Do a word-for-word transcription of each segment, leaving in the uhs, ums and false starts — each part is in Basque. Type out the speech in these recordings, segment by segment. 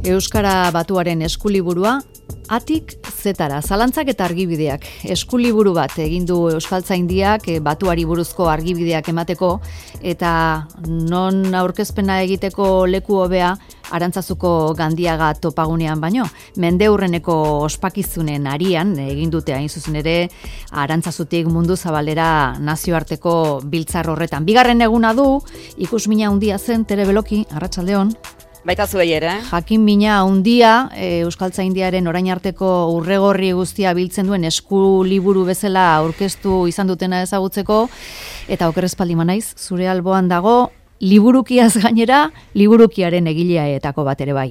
Euskara Batuaren eskuliburua, Atik zetara, zalantzak eta argibideak. Eskuliburu bat egin du Euskaltzaindiak Batuari buruzko argibideak emateko, eta non aurkezpena egiteko leku hobea Arantzazuko Gandiaga topagunean baino. Mendeurreneko ospakizunen arian egin dute hain zuzen ere Arantzazutik mundu zabalera nazioarteko biltzar horretan. Bigarren eguna du, ikusmina handia zen, Tere Beloki, arratsaldeon. Baita zuei ere. Jakin mina handia e, Euskaltzaindiaren orain arteko urregorri guztia biltzen duen esku liburu bezala aurkeztu izan dutena ezagutzeko, eta oker espaldi manaiz, zure alboan dago, liburukiaz gainera, liburukiaren egileaetako bat ere bai.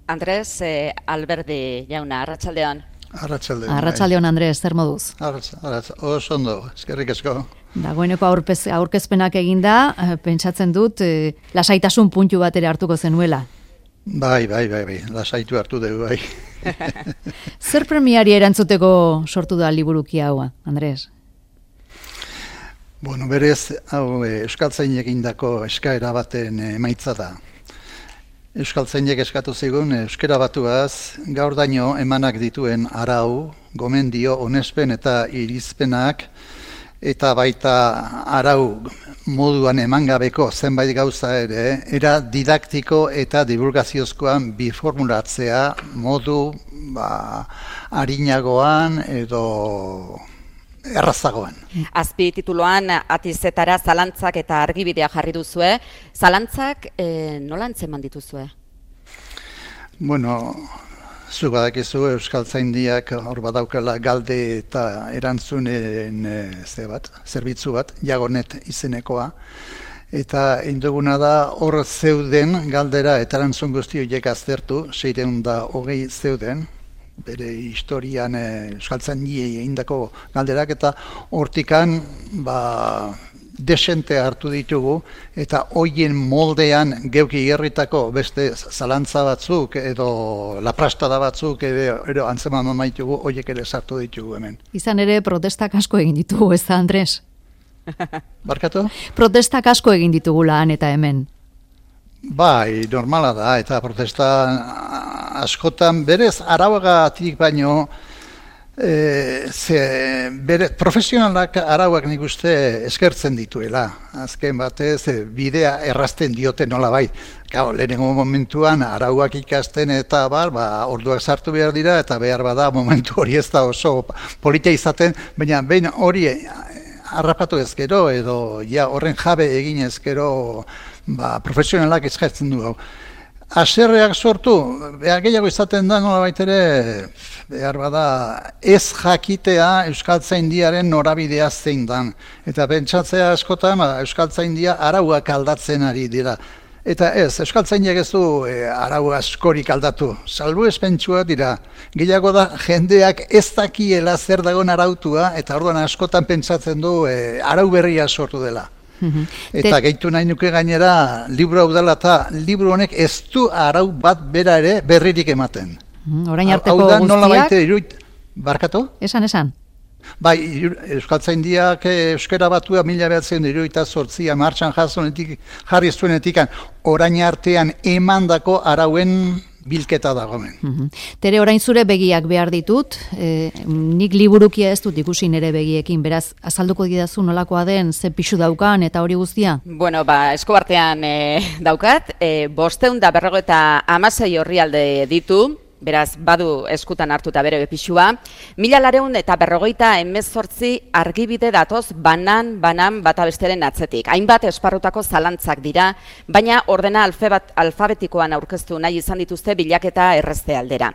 Andres eh, Alberdi jauna, arratsaldeon. Arratsaldeon. Arratsaldeon, Andres, zer moduz? Arratsaldeon, oso ondo, eskerrik asko. Dagoeneko aurpez, aurkezpenak eginda, pentsatzen dut, e, lasaitasun puntu bat ere hartuko zenuela. Bai, bai, bai, bai, lasaitu hartu dugu, bai. Zer premiari erantzuteko sortu da liburuki haua, Andres? Bueno, berez, hau Euskaltzainek egindako eskaera baten emaitza da. Euskaltzainek eskatu zigun euskara batuaz gaur daño emanak dituen arau, gomendio, onespen eta irizpenak, eta baita arau moduan emangabeko zenbait gauza ere, era didaktiko eta divulgaziozkoan biformulatzea modu ba, arinagoan edo errazagoan. Azpi tituluan Atizetara zalantzak eta argibidea jarri duzue. Zalantzak e, nola antzeman dituzue? Bueno, zu badakizu Euskaltzaindiak hor badaukala galde eta erantzunen e, ze bat, zerbitzu bat, Jagonet izenekoa. Eta induguna da hor zeuden galdera eta erantzun guzti horiek aztertu, seiehun eta hogei zeuden, bere historian e, Euskaltzaindiei egindako galderak, eta hortikan ba, desente hartu ditugu, eta hoien moldean geuki herritako beste zalantza batzuk edo laprastada batzuk edo, edo antzeman maitugu, hoiek ere sartu ditugu hemen. Izan ere protestak asko egin ditugu, ez da, Andres? Barkatu? Protestak asko egin ditugula han eta hemen. Bai, normala da, eta protesta askotan berez arauagatik baino e, ze, bere, profesionalak arauak nik uste eskertzen dituela. Azken batez bidea errazten diote nola bai. Gau, lehenengo momentuan arauak ikasten eta bar, ba, orduak sartu behar dira eta behar bada momentu hori ez da oso politia izaten, baina behin hori harrapatu ezkero edo ja horren jabe egin ezkero ba, profesionalak eskatzen du hau. Haserreak sortu, behar gehiago izaten da nola baitere, behar bada ez jakitea Euskaltzaindiaren norabidea zein dan. Eta pentsatzea askotan ba, Euskaltzaindia arauak aldatzen ari dira. Eta ez, Euskaltzaindiak ez du e, arau askorik aldatu, salbuespentsua dira. Gehiago da jendeak ez dakiela zer dagoen arautua, eta orduan askotan pentsatzen du e, arau berria sortu dela. Eta gehitu nahi nuke gainera, liburu hau dela eta liburu honek ez du arau bat bera ere berririk ematen. Orain arteko guztiak... Nola baite, iruit, barkatu? Esan, esan. Bai, Euskaltzaindiak euskara batua mila behatzen iruita sortzia martxan jasonetik, jarri zuenetik, orain artean emandako arauen bilketa dagoen. Mm-hmm. Tere, orain zure begiak behar ditut, e, nik liburukia ez dut ikusi nire begiekin, beraz, azalduko didazu nolakoa den, ze pixu daukan eta hori guztia? Bueno, ba, eskuartean e, daukat, e, bosteun da berrogo eta amasei orrialde ditu, beraz, badu eskutan hartuta bere pixua. Mila lareun eta berrogeita hemezortzi argibide datoz banan, banan bata besteren atzetik. Hainbat esparrutako zalantzak dira, baina ordena alfabet, alfabetikoan aurkeztu nahi izan dituzte bilaketa errezte aldera.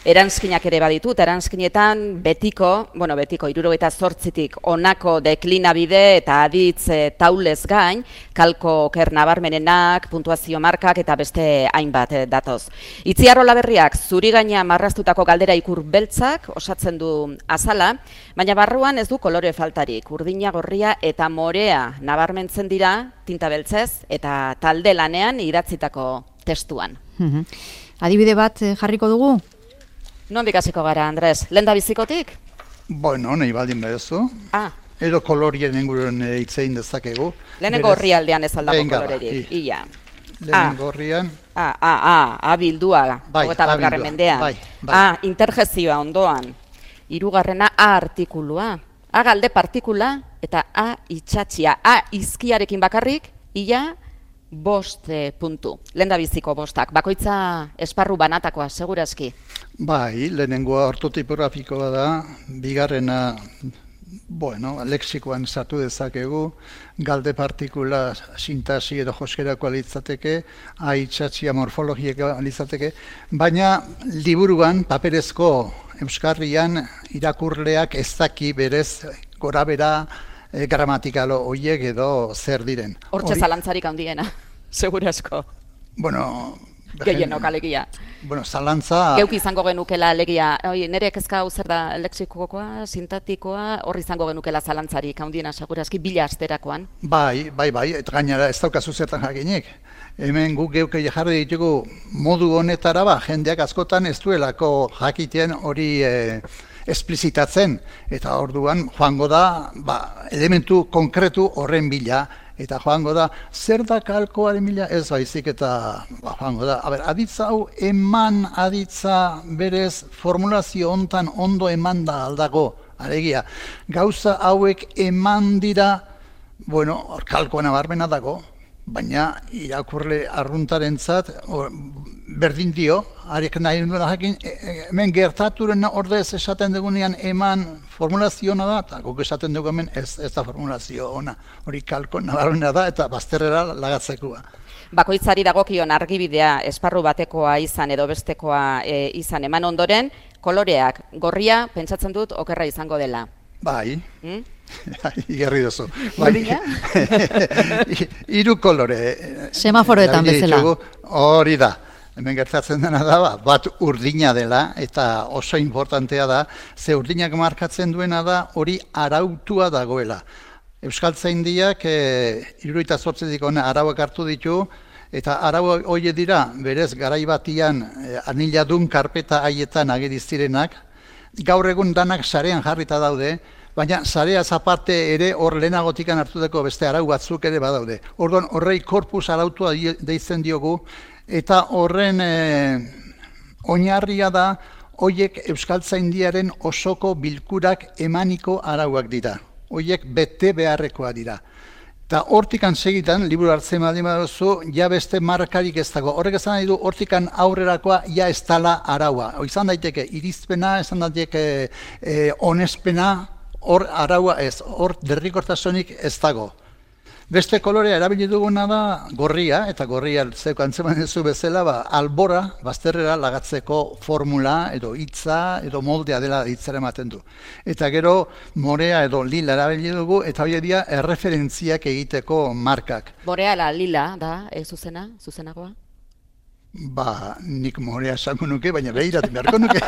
Eranskinak ere baditut, eranskinetan betiko, bueno, betiko hirurogeita zortzitik honako deklinabide eta aditz e, taulez gain, kalko oker nabarmenenak, puntuazio markak eta beste hainbat e, datoz. Itziar Olaberriak zuri gaina marraztutako galdera ikur beltzak osatzen du azala, baina barruan ez du kolore faltarik, urdina, gorria eta morea nabarmentzen dira tinta beltzez eta talde lanean idatzitako testuan. Mm-hmm. Adibide bat e, jarriko dugu? Non bikasiko gara, Andres? Lenda bizikotik? Bueno, nahi baldin bedezu. Ah. Edo kolorien inguruen hitzein dezakegu. Lehenengo horri aldean ez aldako kolorerik. Ia. Lehenengo horrian. A, A, A, A bildua, bai, hogeita batgarren mendean. Bai, bai. A, interjezioa ondoan. Hirugarrena A artikulua. A galde partikula eta A itxatxia. A izkiarekin bakarrik, ia bost e, puntu. Lehendabiziko bostak. Bakoitza esparru banatakoa, segurazki. Bai, lehenengoa ortotipografikoa da, bigarrena, bueno, lexikoan sartu dezakegu, galde partikula sintasi edo joskerako litzateke, A itxatxia morfologieko litzateke, baina liburuan, paperezko euskarrian, irakurleak ez daki berez gorabera e, gramatikalo horiek edo zer diren. Hortxe zalantzarik handiena, segurazko. Bueno, gehienok alegia. Bueno, zalantza... Geuk izango genukela alegia, oi, nire kezka hau zer da lexikokoa, sintatikoa, hor izango genukela zalantzarik handiena segurazki bila asterakoan. Bai, bai, bai, eta gainera ez daukazu zertan jakinik. Hemen guk geuk jarri ditugu modu honetara ba, jendeak askotan ez duelako jakiten hori e, esplizitatzen. Eta orduan joango da ba, elementu konkretu horren bila. Eta joango da, zer da kalkoaren bila? Ez baizik eta ba, joango da. Aber, aditza hau eman aditza berez formulazio hontan ondo eman da aldago. Alegia, gauza hauek eman dira, bueno, hor kalkoan abarmena dago, baina irakurle arruntarentzat berdin dio, hariek nahi duela jakin, hemen gertaturen ordez esaten dugunean eman formulaziona da, eta guk esaten dugu hemen ez, ez da formulazio ona, hori kalko nabarmena da eta bazterrera lagatzekoa. Bakoitzari dagokion argibidea esparru batekoa izan edo bestekoa e, izan eman ondoren, koloreak gorria pentsatzen dut okerra izango dela. Bai. Hmm? Igerri duzu. Bai. Hiru kolore. Semaforoetan bezala. Hori da. Hemen gertatzen dena da, bat urdina dela, eta oso importantea da, ze urdinak markatzen duena da, hori arautua dagoela. Euskaltzaindiak e, hirurogeita zortzitik hona arauak hartu ditu, eta arau hori dira, berez, garai batian e, aniladun karpeta haietan ageriz zirenak, gaur egun danak sarean jarrita daude, baina sarea aparte ere hor lehenagotikan hartutako beste arau batzuk ere badaude. Orduan horrei korpus arautua deitzen diogu, eta horren e, oinarria da, hoiek Euskaltzaindiaren osoko bilkurak emaniko arauak dira. Hoiek bete beharrekoa dira. Eta hortikan segitan, liburu hartzen baldin baduzu, ja beste markarik ez dago. Horrek esan nahi du, hortikan aurrerakoa ja ez dala araua. Izan daiteke irizpena, izan daiteke e, onespena, hor araua ez, hor derrikortasunik ez dago. Beste kolorea erabili duguna da gorria, eta gorria zeko antzeman duzu bezala, ba, albora, bazterrera lagatzeko formula, edo hitza, edo moldea dela hitzara ematen du. Eta gero morea edo lila erabili dugu, eta hori dira erreferentziak egiteko markak. Morea la lila da, e, zuzena, zuzenagoa? Ba, nik morea esango nuke, baina behiratzen beharko nuke.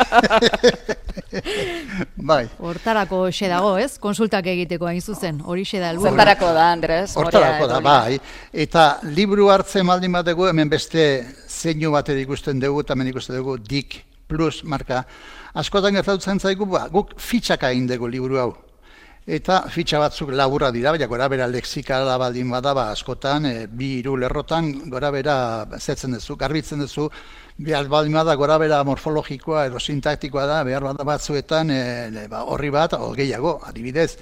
Bai. Hortarako xe dago, ez? Konsultak egiteko hain zuzen, hori xe da helburua. Zertarako da, Andres? Hortarako da, bai. Eta liburu hartzen baldin bat dugu, hemen beste zeinu bat ikusten dugu, eta hemen ikusten dugu Dik Plus marka. Askotan gertatzen zaigu, ba, guk fitxaka egin dugu liburu hau. Eta fitxa batzuk laburra dira, baina gora bera lexikala baldin badaba askotan, e, bi hiru lerrotan gora bera zetzen duzu, garbitzen duzu, behar baldin bada gora bera morfologikoa edo sintaktikoa da, behar bada batzuetan e, ba, horri bat, o gehiago, adibidez,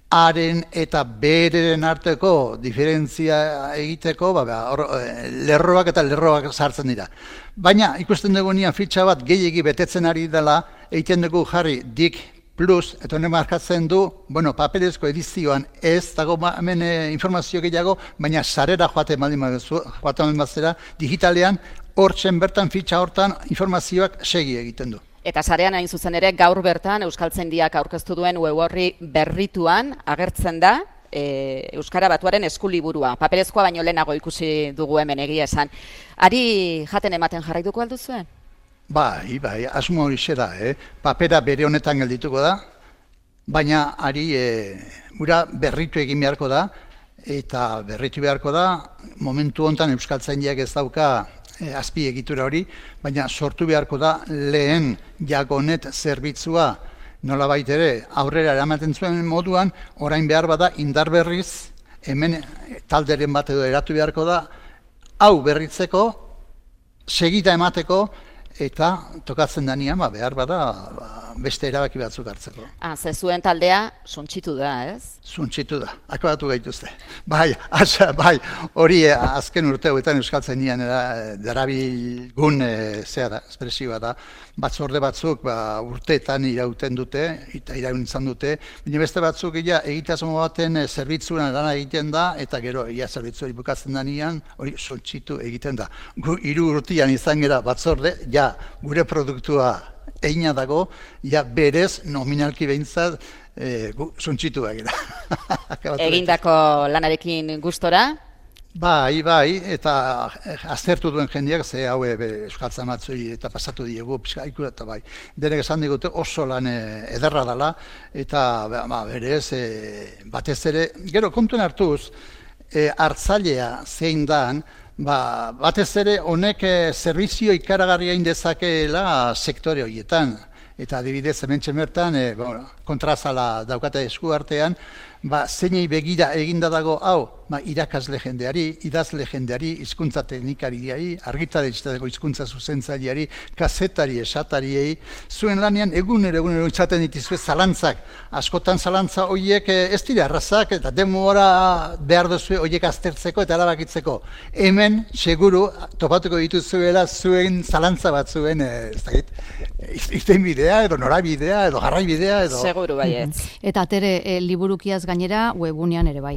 haren eta bereren arteko diferentzia egiteko, ba, or, e, lerroak eta lerroak sartzen dira. Baina ikusten dugu nian fitxa bat gehiegi betetzen ari dela, egiten dugu jarri Dik Plus, eta honen markatzen du, bueno, paperezko edizioan ez dago hemen e, informazio gehiago, baina sarera joaten baldin baduzu, joaten bazera, digitalean, hortzen bertan, fitxa hortan, informazioak segi egiten du. Eta sarean hain zuzen ere, gaur bertan Euskaltzaindiak aurkeztu duen web orri berrituan agertzen da, e, Euskara Batuaren eskuliburua. Paperezkoa baino lehenago ikusi dugu hemen egia esan. Ari jaten ematen jarraituko alduzuen? Bai, bai, asmo hori da, eh? Papera bere honetan geldituko da, baina ari e, ura berritu egin beharko da, eta berritu beharko da, momentu honetan Euskaltzaindiak ez dauka e, azpi egitura hori, baina sortu beharko da lehen Jagonet zerbitzua nolabait ere aurrera eramaten zuen moduan, orain behar bada indar berriz, hemen talderen bat edo eratu beharko da, hau berritzeko, segita emateko, eta tokatzen danean, ba, behar bada, ba, beste erabaki batzuk hartzeko. Ah, ze zuen taldea suntsitu da, ez? Suntsitu da, akabatu gaituzte. Bai, asa, bai, hori eh, azken urte hauetan euskaltzainean darabilgun e, zea da, espresioa da, batzorde batzuk ba, urteetan irauten dute, eta iraun izan dute, baina beste batzuk ja, egitasmo baten e, zerbitzuan lana egiten da, eta gero ja, zerbitzu hori bukatzen danean, hori suntsitu egiten da. Gu hiru urtean izan gera batzorde, ja, gure produktua egina dago, ja berez nominalki behintzat e, suntsitu egira. Egindako lanarekin gustora? Bai, bai, eta aztertu duen jendeak, ze hau euskaltza matzui eta pasatu diegu, pizkaiku eta bai. Denek esan digute oso lan ederra dela, eta ba, berez, e, batez ere, gero kontuen hartuz, e, hartzailea zein dan, Ba, batez ere honek e, zerbizio ikaragarria indezakeela sektore horietan. Eta adibidez, hementxe bertan, e, bueno, kontrazala daukate esku artean, ba, zeinei begira eginda dago hau, ba, irakasle jendeari, idazle jendeari, hizkuntza teknikariari, argitaletxeetako hizkuntza zuzentzaileari, kazetari, esatariei, zuen lanean egunero egunero izaten dituzue zalantzak. Askotan zalantza horiek ez dira errazak eta denbora behar duzue horiek aztertzeko eta erabakitzeko. Hemen, seguru, topatuko dituzuela zuen zalantza bat zuen, ez dakit, irtenbidea, edo norabidea, edo garraibidea, edo... Seguru baietz. Eta atere e, liburukiaz gainera webgunean ere bai.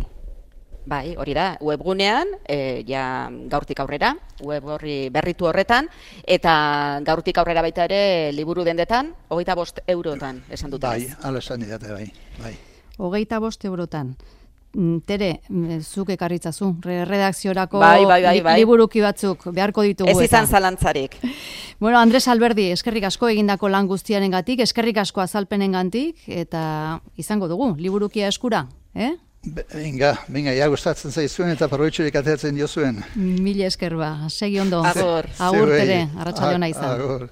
Bai, hori da, webgunean, e, ja gaurtik aurrera, web horri berritu horretan, eta gaurtik aurrera baita ere liburu dendetan, hogeita bost eurotan esan dut. Bai, ala esan didate, bai, bai. Hogeita bost eurotan. Tere, zuk ekarritzazu, redakziorako bai, bai, bai, bai. liburuki batzuk beharko ditugu. Ez izan zalantzarik. Bueno, Andres Alberdi, eskerrik asko egindako lan guztiarengatik, eskerrik asko azalpenengatik, eta izango dugu, liburukia eskura, eh? Venga, venga, ja gustatzen zaizuen eta probetxurik ateratzen diozuen. Mila esker ba, segi ondo. Agur. Agur, Tere, arratsalde ona izan. Agur.